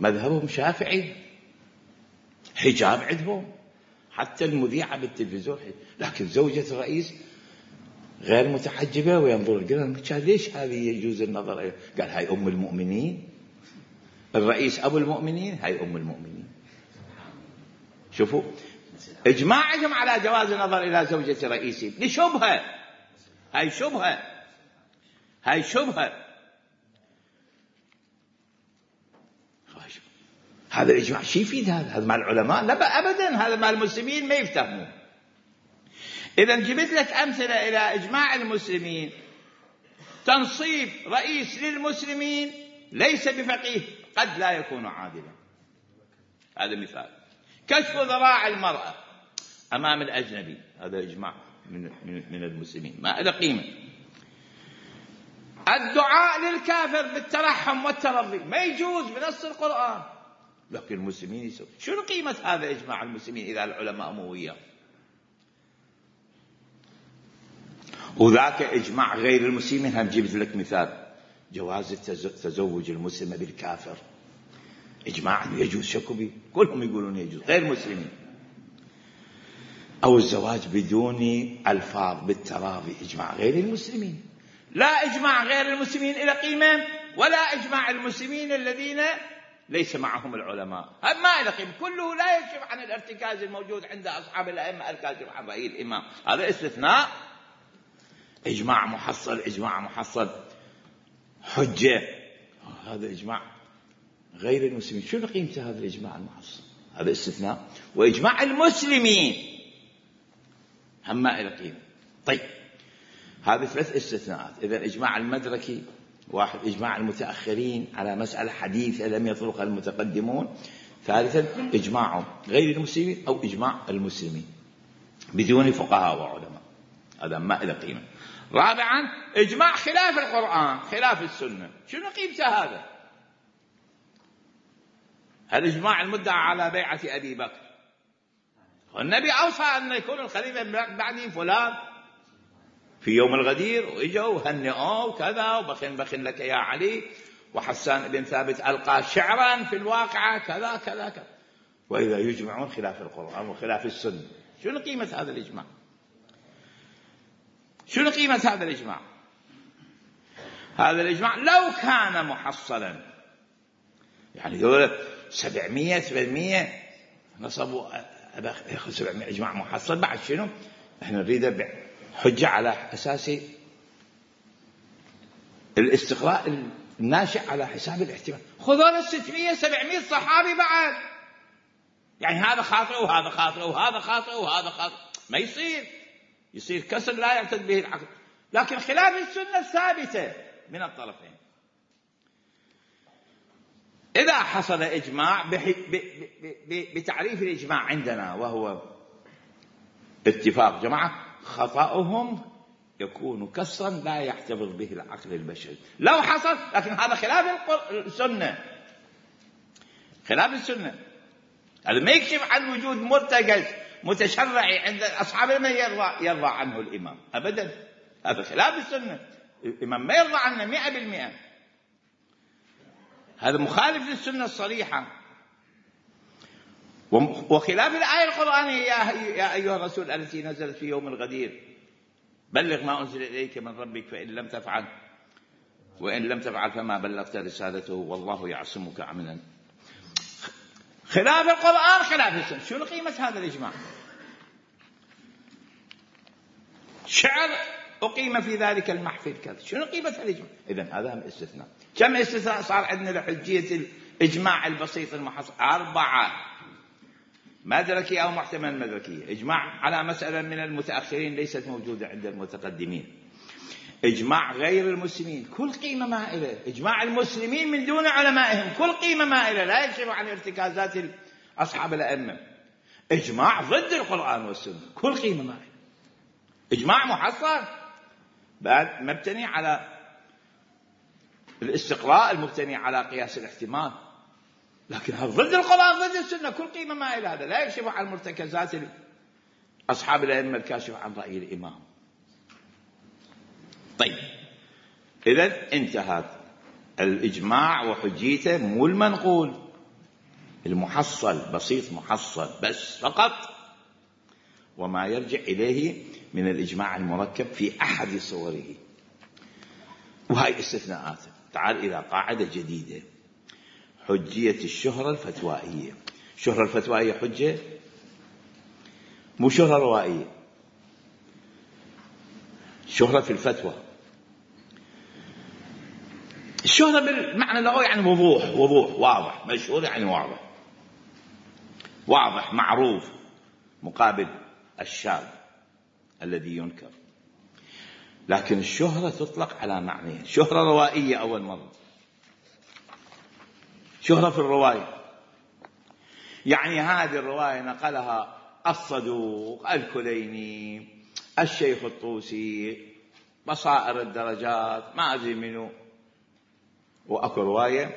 مذهبهم شافعي، حجاب عندهم، حتى المذيعة بالتلفزيون، لكن زوجة الرئيس غير متحجبة وينظر. قال ليش هذه يجوز النظر إليها؟ قال هاي أم المؤمنين، الرئيس أبو المؤمنين، هاي أم المؤمنين. شوفوا إجماعهم على جواز النظر إلى زوجة رئيسهم لشبهة، هاي شبهة، هاي شبهة. هذا الإجماع شي يفيد؟ هذا هذا مع العلماء؟ لا أبدا، هذا مع المسلمين ما يفتهمون. إذا جبت لك أمثلة إلى إجماع المسلمين. تنصيب رئيس للمسلمين ليس بفقيه، قد لا يكون عادلا، هذا مثال. كشف ذراع المرأة أمام الأجنبي، هذا إجماع من, من, من المسلمين ما له قيمة. الدعاء للكافر بالترحم والترضي ما يجوز بنص القرآن، لكن المسلمين يسوون. شنو قيمة هذا إجماع المسلمين إذا العلماء مو وياه؟ وذاك إجماع غير المسلمين. هم جبت لك مثال جواز تزوج المسلمة بالكافر، إجماع يجوز، شكو بيه، كلهم يقولون يجوز غير المسلمين. أو الزواج بدون ألفاظ بالتراضي، إجماع غير المسلمين. لا إجماع غير المسلمين إلى قيمة، ولا إجماع المسلمين الذين ليس معهم العلماء هم ما إلى قيمة. كله لا يكشف عن الارتكاز الموجود عند أصحاب الأئمة الكاشف عن رأي الإمام. هذا استثناء. إجماع محصل، إجماع محصل حجة، هذا إجماع غير المسلمين. شنو قيمة هذا الإجماع المحصل؟ هذا استثناء. وإجماع المسلمين هم ما إلى قيمة. طيب هذه ثلاث استثناءات. إذا إجماع المدركي واحد، إجماع المتأخرين على مسألة حديثة لم يطرقها المتقدمون. ثالثا إجماع غير المسلمين أو إجماع المسلمين بدون فقهاء وعلماء، هذا ما إلى قيمة. رابعا إجماع خلاف القرآن خلاف السنة. شنو قيمته هذا؟ هل إجماع المدعى على بيعة أبي بكر، والنبي أوصى أن يكون الخليفة بعدي فلان في يوم الغدير، وإجوا وهنئوا وكذا وبخن بخن لك يا علي، وحسان بن ثابت ألقى شعرا في الواقعة كذا كذا كذا. وإذا يجمعون خلاف القرآن وخلاف السنة، شنو قيمة هذا الإجماع؟ شنو قيمة هذا الإجماع؟ هذا الإجماع لو كان محصلا، يعني دولة سبعمية ثمانمية نصبوا ياخذ سبعمية إجماع محصل، بعد شنو؟ احنا نريد حجة على أساس الاستقراء الناشئ على حساب الاحتمال. خذوا ستمية سبعمية صحابي بعد، يعني هذا خاطئ وهذا خاطئ وهذا خاطئ وهذا خاطئ، ما يصير، يصير كسر لا يعتد به العقل. لكن خلاف السنة الثابتة من الطرفين. إذا حصل إجماع بتعريف الإجماع عندنا وهو اتفاق جماعة، خطأهم يكون كسرا لا يحتفظ به العقل البشري لو حصل. لكن هذا خلاف السنة، خلاف السنة. هذا ما يكشف عن وجود مرتكز متشرعي عند أصحاب الإمام يرضى, يرضى عنه الإمام أبدا. هذا خلاف السنة، الإمام ما يرضى عنه مئة بالمئة. هذا مخالف للسنة الصريحة. وخلاف الآية القرآنية يا أيها الرسول التي نزلت في يوم الغدير بلغ ما أنزل إليك من ربك فإن لم تفعل وإن لم تفعل فما بلغت رسالته والله يعصمك من الناس. خلاف القرآن خلاف السنة. شنو قيمة هذا الإجماع؟ شعر أقيم في ذلك المحفل كذا، شنو قيمة الإجماع؟ إذن هذا هم استثناء. كم استثناء صار عندنا لحجية الإجماع البسيط المحصل؟ أربعة: مدركي أو محتمل مدركي، إجماع على مسألة من المتأخرين ليست موجودة عند المتقدمين، إجماع غير المسلمين كل قيمة ما إله، إجماع المسلمين من دون علمائهم كل قيمة ما إله، لا يكشف عن ارتكازات أصحاب الأئمة، إجماع ضد القرآن والسنة كل قيمة ما إله، إجماع محصل بعد مبتني على الاستقراء المبتني على قياس الاحتمال، لكن هذا ضد القرآن ضد السنة كل قيمة ما إله، هذا لا يكشف عن مرتكزات أصحاب الأئمة الكاشف عن رأي الإمام. طيب إذا انتهت الإجماع وحجيته، مو المنقول، المحصل بسيط محصل بس فقط، وما يرجع إليه من الإجماع المركب في أحد صوره، وهي استثناءات. تعال إلى قاعدة جديدة: حجية الشهرة الفتوائية. الشهرة الفتوائية حجة، مو شهرة روائية، شهرة في الفتوى. الشهرة بالمعنى اللغوي يعني وضوح، وضوح واضح، مشهور يعني واضح، واضح معروف، مقابل الشاذ الذي ينكر. لكن الشهرة تطلق على معنى شهرة روائية أول مرة، شهرة في الرواية، يعني هذه الرواية نقلها الصدوق الكليني الشيخ الطوسي بصائر الدرجات ما أدري منه، وأكو رواية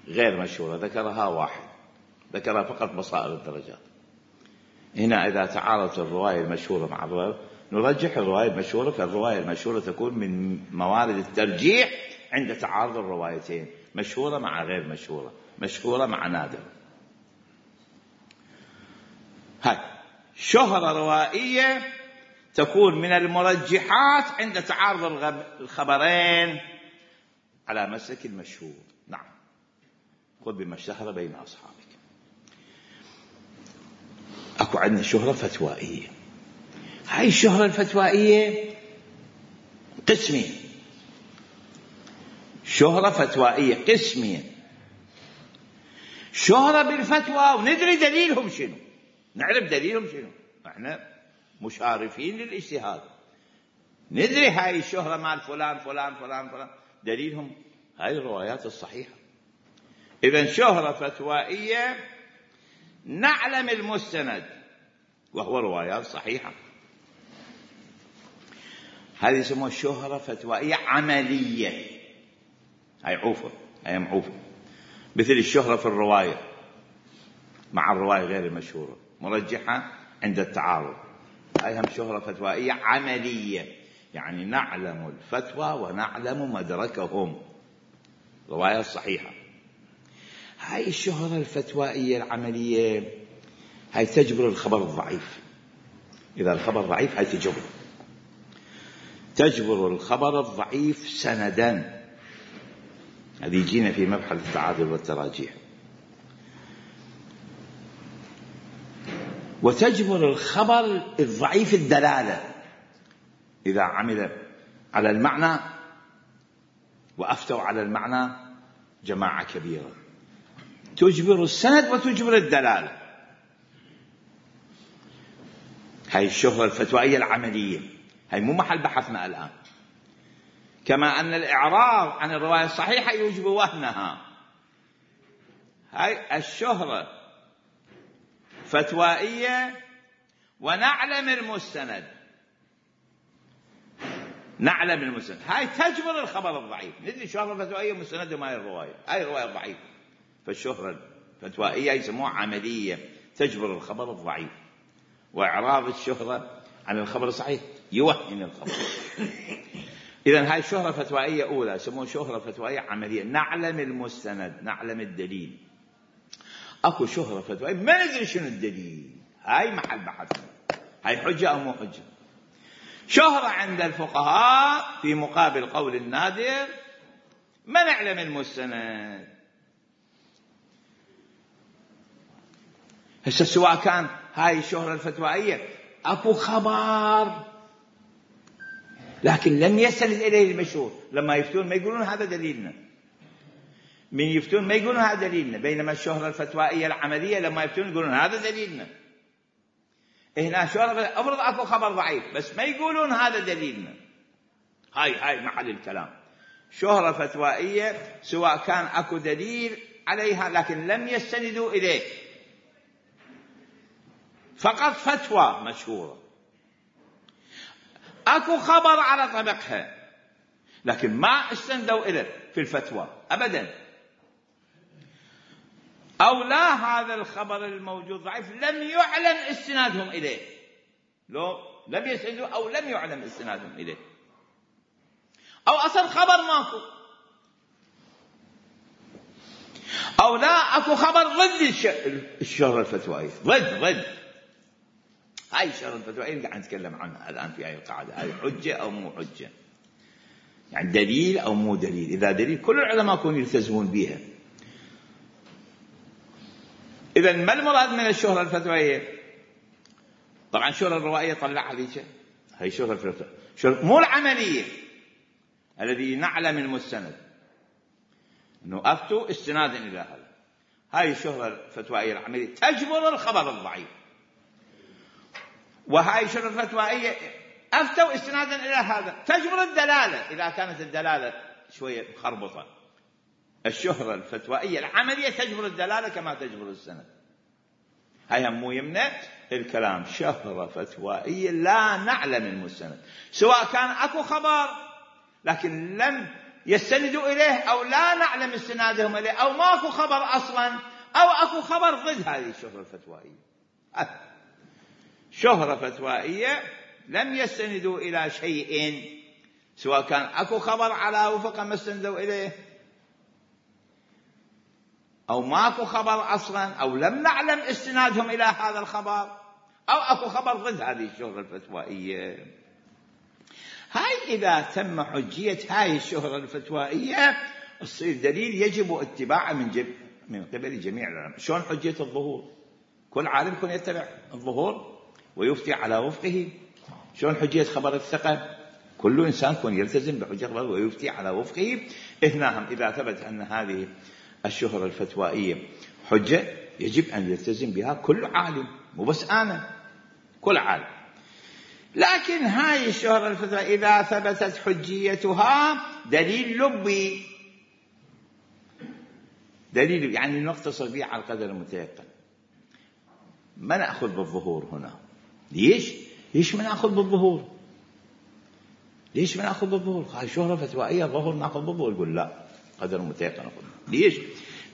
غير مشهورة ذكرها واحد، ذكرها فقط بصائر الدرجات. هنا إذا تعارضت الرواية المشهورة مع الرواية نرجح الرواية المشهورة، فالرواية المشهورة تكون من موارد الترجيح عند تعارض الروايتين، مشهورة مع غير مشهورة، مشهورة مع نادر. هاي شهرة روائية تكون من المرجحات عند تعارض الخبرين على مسلك المشهور. نعم، خذ بما اشتهر بين أصحابك. أكو عندنا شهرة فتوائية. هاي الشهرة الفتوائية قسمين، شهرة فتوائية قسمين، شهرة بالفتوى وندري دليلهم شنو، نعرف دليلهم شنو، احنا مشارفين للاجتهاد، ندري هاي الشهرة مال فلان فلان فلان فلان دليلهم هاي الروايات الصحيحة. إذن شهرة فتوائية نعلم المستند وهو روايات صحيحة، هذه يسموها شهرة فتوائية عملية. هاي عوفة، هاي معوفة، مثل الشهرة في الرواية مع الرواية غير المشهورة مرجحة عند التعارض، هاي هم شهرة فتوائية عملية، يعني نعلم الفتوى ونعلم مدركهم، رواية صحيحة. هاي الشهرة الفتوائية العملية هاي تجبر الخبر الضعيف، إذا الخبر ضعيف هاي تجبر تجبر الخبر الضعيف سندا، هذه يجينا في مبحث التعادل والتراجيح. وتجبر الخبر الضعيف الدلالة، إذا عمل على المعنى وأفتوا على المعنى جماعة كبيرة، تجبر السند وتجبر الدلالة. هاي الشهرة الفتوائية العملية، هاي مو محل بحثنا الآن. كما أن الإعراض عن الرواية الصحيحة يوجب وهنها، هاي الشهرة فتوائية ونعلم المستند، نعلم المستند هاي تجبر الخبر الضعيف، ندري شهرة فتوائية مستند ما هي الرواية، هاي الرواية ضعيفة، فالشهرة الفتوائية يسموها عملية تجبر الخبر الضعيف، وإعراض الشهرة عن الخبر الصحيح يوهن الخبر. إذن هاي شهرة فتوائية أولى يسموها شهرة فتوائية عملية، نعلم المستند، نعلم الدليل. أكو شهرة فتوائية ما ندري شنو الدليل، هاي محل بحثنا، هاي حجة أو مو حجة. شهرة عند الفقهاء في مقابل قول النادر ما نعلم المستند. هسه سواء كان هاي الشهرة الفتوائية أكو خبر لكن لم يسند إليه المشهور، لما يفتون ما يقولون هذا دليلنا، من يفتون ما يقولون هذا دليلنا، بينما الشهرة الفتوائية العملية لما يفتون يقولون هذا دليلنا. هنا شهرة أفرض أكو خبر ضعيف بس ما يقولون هذا دليلنا، هاي هاي محل الكلام. شهرة فتوائية سواء كان أكو دليل عليها لكن لم يستندوا إليه، فقط فتوى مشهورة، أكو خبر على طبقها لكن ما استندوا إليه في الفتوى أبدا، أو لا هذا الخبر الموجود ضعيف لم يعلم استنادهم إليه، لو لم يستندوا أو لم يعلم استنادهم إليه، أو أصلا خبر ماكو، أو لا أكو خبر ضد الشهرة الفتوائية، ضد ضد هاي الشهرة الفتوائية قاعد نتكلم عنها الآن في هاي القاعدة، هاي حجة أو مو حجة، يعني دليل أو مو دليل. إذا دليل كل العلماء يكونوا يلتزمون بها. إذن ما المراد من الشهرة الفتوائية؟ طبعا الشهرة الروائية طلعها ذيك، هاي شهرة الفتوائية مو العملية الذي نعلم المستند أنه أفتوا استنادا إلى هذا، هاي الشهرة الفتوائية العملية تجبر الخبر الضعيف، وهاي الشهرة الفتوائية أفتوا استنادا إلى هذا تجبر الدلالة إذا كانت الدلالة شوية مخربطة. الشهرة الفتوائية العملية تجبر الدلالة كما تجبر السند، هاي هم مو يمنع الكلام. شهرة فتوائية لا نعلم المستند، سواء كان أكو خبر لكن لم يستند إليه أو لا نعلم استنادهم إليه، أو ماكو خبر أصلا، أو أكو خبر ضد هذه الشهرة الفتوائية. شهرة فتوائية لم يستندوا إلى شيء، سواء كان أكو خبر على وفق ما استندوا إليه، أو ماكو خبر أصلا، أو لم نعلم استنادهم إلى هذا الخبر، أو أكو خبر ضد هذه الشهرة الفتوائية. هاي إذا تم حجية هاي الشهرة الفتوائية تصير دليل يجب اتباعه من, جب من قبل جميع العلماء. شلون حجية الظهور؟ كل عالم يكون يتبع الظهور ويفتي على وفقه. شلون حجية خبر الثقة؟ كل إنسان يكون يلتزم بحجة خبر ويفتي على وفقه. هنا إذا ثبت أن هذه الشهرة الفتوائية حجة يجب أن يلتزم بها كل عالم، مو بس أنا، كل عالم. لكن هاي الشهرة الفتوائية إذا ثبتت حجيتها دليل لبي، دليل يعني نقتصر به على القدر المتيقن، ما نأخذ بالظهور هنا. ليش؟ ليش ما نأخذ بالظهور؟ ليش ما نأخذ بالظهور؟ هاي شهرة فتوائية ظهور نأخذ بالظهور. يقول لا، قدر متيقن أخذ. ليش؟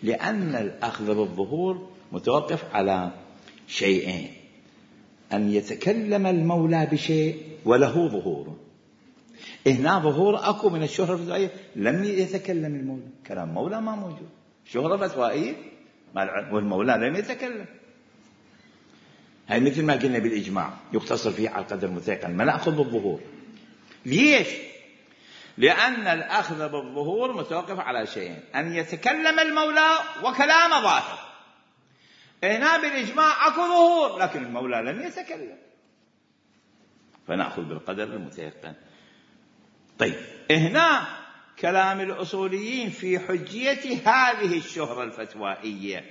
لأن الأخذ بالظهور متوقف على شيئين: أن يتكلم المولى بشيء وله ظهور. هنا ظهور أكو من الشهرة الفتوائية، لم يتكلم المولى، كلام مولى ما موجود، شهرة فتوائية والمولى لم يتكلم. هاي مثل ما قلنا بالإجماع يقتصر فيه على القدر المتيقن، ما نأخذ بالظهور. ليش؟ لأن الأخذ بالظهور متوقف على شيئين: أن يتكلم المولى وكلام ظاهر. هنا بالإجماع أكو ظهور لكن المولى لم يتكلم، فنأخذ بالقدر المتيقن. طيب، هنا كلام الأصوليين في حجية هذه الشهرة الفتوائية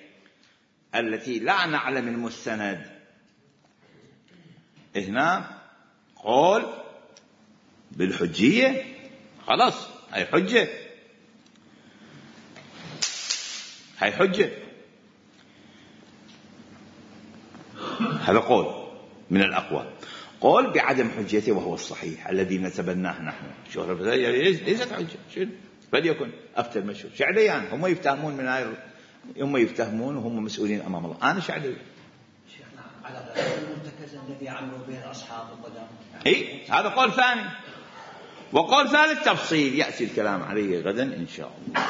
التي لا نعلم المستند. هنا قول بالحجية، خلاص هاي حجة، هاي حجة. هذا قول من الأقوال. قول بعدم حجيته وهو الصحيح الذي نتبناه نحن. شهرة الفتوائية ليست حجة، شنو فليكن أفتى المشهور. شعليان هم يفتهمون من هاي، هم يفتهمون وهم مسؤولين أمام الله. أنا شعلي. شيخنا على المرتكز الذي عملوا به أصحاب القدم. إيه، هذا قول ثاني. وقول ثالث تفصيل يأتي الكلام عليه غدا إن شاء الله.